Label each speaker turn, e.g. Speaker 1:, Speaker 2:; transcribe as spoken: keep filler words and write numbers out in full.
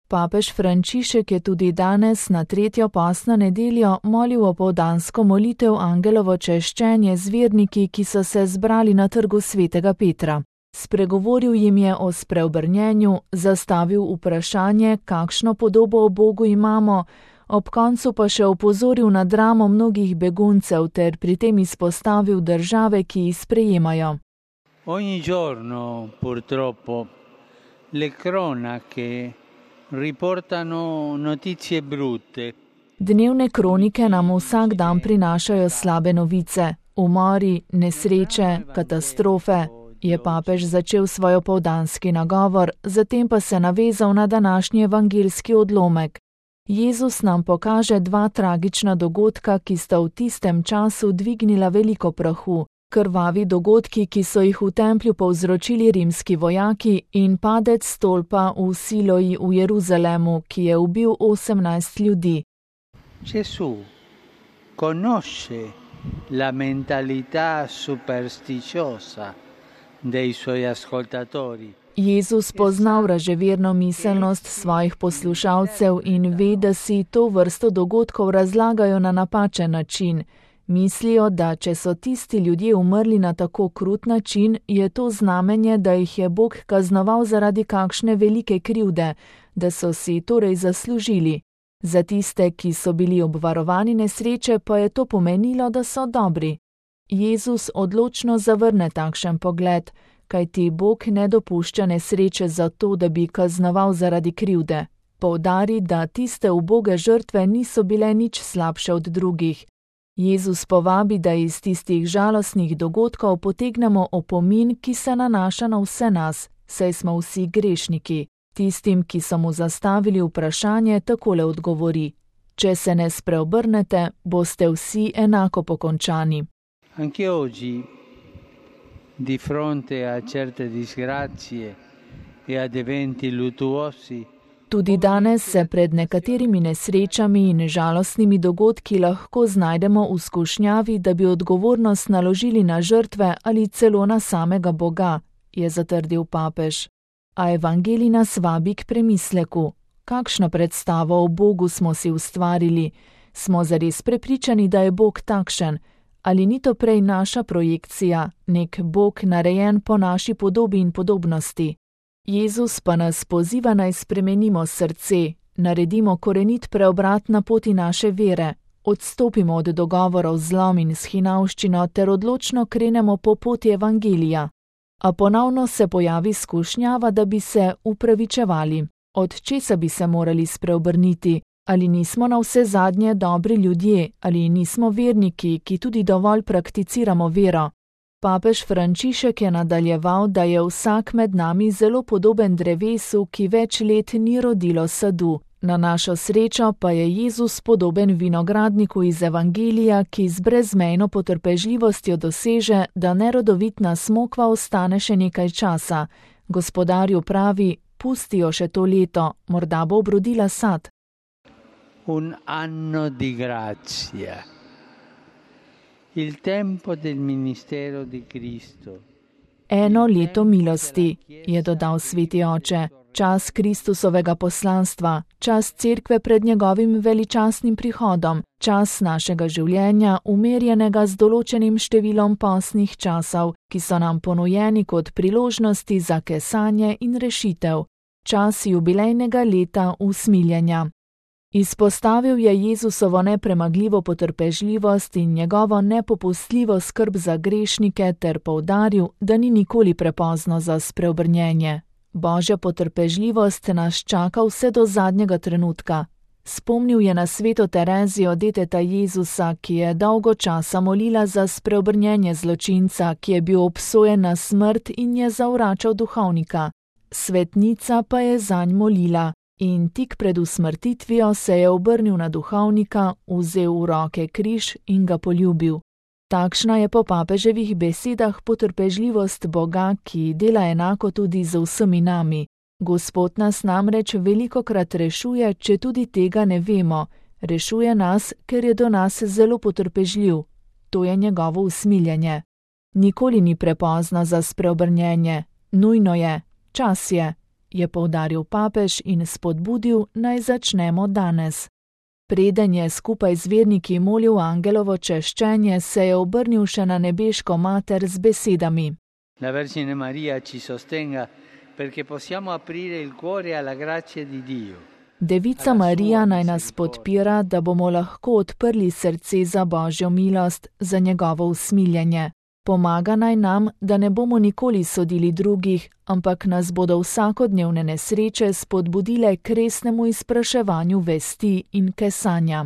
Speaker 1: Papež Frančišek je tudi danes na tretjo postno nedeljo molil opoldansko molitev Angelovo češčenje z verniki, ki so se zbrali na trgu svetega Petra. Spregovoril jim je o spreobrnjenju, zastavil vprašanje, kakšno podobo o Bogu imamo, ob koncu pa še opozoril na dramo mnogih beguncev ter pri tem izpostavil države, ki jih sprejemajo.
Speaker 2: Ogni giorno, purtroppo, le cronache riportano notizie brutte.
Speaker 1: Dnevne kronike nam vsak dan prinašajo slabe novice, umori, nesreče, katastrofe, je papež začel svoj opoldanski nagovor, zatem pa se navezal na današnji evangeljski odlomek. Jezus nam pokaže dva tragična dogodka, ki sta v tistem času dvignila veliko prahu. Krvavi dogodki, ki so jih v templju povzročili rimski vojaki, in padec stolpa v Siloji v Jeruzalemu, ki je ubil osemnajst ljudi.
Speaker 2: Gesù conosce la mentalità supersticiosa dei suoi ascoltatori.
Speaker 1: Jezus pozna vraževerno miselnost svojih poslušalcev in ve, da si to vrsto dogodkov razlagajo na napačen način. Mislijo, da če so tisti ljudje umrli na tako krut način, je to znamenje, da jih je Bog kaznoval zaradi kakšne velike krivde, da so si torej zaslužili. Za tiste, ki so bili obvarovani nesreče, pa je to pomenilo, da so dobri. Jezus odločno zavrne takšen pogled, kajti Bog ne dopušča nesreče zato, da bi kaznoval zaradi krivde. Poudari, da tiste uboge žrtve niso bile nič slabše od drugih. Jezus povabi, da iz tistih žalostnih dogodkov potegnemo opomin, ki se nanaša na vse nas, saj smo vsi grešniki. Tistim, ki so mu zastavili vprašanje, takole odgovori: če se ne spreobrnete, boste vsi enako pokončani.
Speaker 2: Anche oggi, di fronte a certe disgrazie e ad eventi luttuosi,
Speaker 1: Tudi danes se pred nekaterimi nesrečami in žalostnimi dogodki lahko znajdemo v skušnjavi, da bi odgovornost naložili na žrtve ali celo na samega Boga, je zatrdil papež. A evangelij nas vabi k premisleku. Kakšno predstavo o Bogu smo si ustvarili? Smo zares prepričani, da je Bog takšen? Ali ni to prej naša projekcija, nek Bog narejen po naši podobi in podobnosti? Jezus pa nas poziva naj spremenimo srce, naredimo korenit preobrat na poti naše vere, odstopimo od dogovorov z zlom in s hinavščino ter odločno krenemo po poti evangelija. A ponovno se pojavi skušnjava, da bi se upravičevali. Od česa bi se morali spreobrniti? Ali nismo na vse zadnje dobri ljudje, ali nismo verniki, ki tudi dovolj prakticiramo vero? Papež Frančišek je nadaljeval, da je vsak med nami zelo podoben drevesu, ki več let ni rodilo sadu. Na našo srečo pa je Jezus podoben vinogradniku iz evangelija, ki z brezmejno potrpežljivostjo doseže, da nerodovitna smokva ostane še nekaj časa. Gospodarju pravi: pusti jo še to leto, morda bo obrodila sad.
Speaker 2: Un anno di grazia. Il tempo del ministero di Cristo.
Speaker 1: Eno leto milosti, je dodal sveti oče, čas Kristusovega poslanstva, čas cerkve pred njegovim veličastnim prihodom, čas našega življenja, umerjenega z določenim številom postnih časov, ki so nam ponujeni kot priložnosti za kesanje in rešitev, čas jubilejnega leta usmiljenja. Izpostavil je Jezusovo nepremagljivo potrpežljivost in njegovo nepopustljivo skrb za grešnike ter poudaril, da ni nikoli prepozno za spreobrnjenje. Božja potrpežljivost nas čaka vse do zadnjega trenutka. Spomnil je na sveto Terezijo, deteta Jezusa, ki je dolgo časa molila za spreobrnjenje zločinca, ki je bil obsojen na smrt in je zavračal duhovnika. Svetnica pa je zanj molila. In tik pred usmrtitvijo se je obrnil na duhovnika, vzel v roke križ in ga poljubil. Takšna je po papeževih besedah potrpežljivost Boga, ki dela enako tudi z vsemi nami. Gospod nas namreč velikokrat rešuje, če tudi tega ne vemo. Rešuje nas, ker je do nas zelo potrpežljiv. To je njegovo usmiljenje. Nikoli ni prepozno za spreobrnjenje. Nujno je. Čas je. je poudaril papež in spodbudil, naj začnemo danes. Preden je skupaj z verniki molil angelovo češčenje, se je obrnil še na nebeško mater z besedami:
Speaker 2: La Vergine Maria ci sostenga perché possiamo aprire il cuore alla grazia di Dio.
Speaker 1: Devica Marija naj nas podpira, da bomo lahko odprli srce za Božjo milost, za njegovo usmiljenje. Pomaga naj nam, da ne bomo nikoli sodili drugih, ampak nas bodo vsakodnevne nesreče spodbudile k resnemu izpraševanju vesti in kesanja.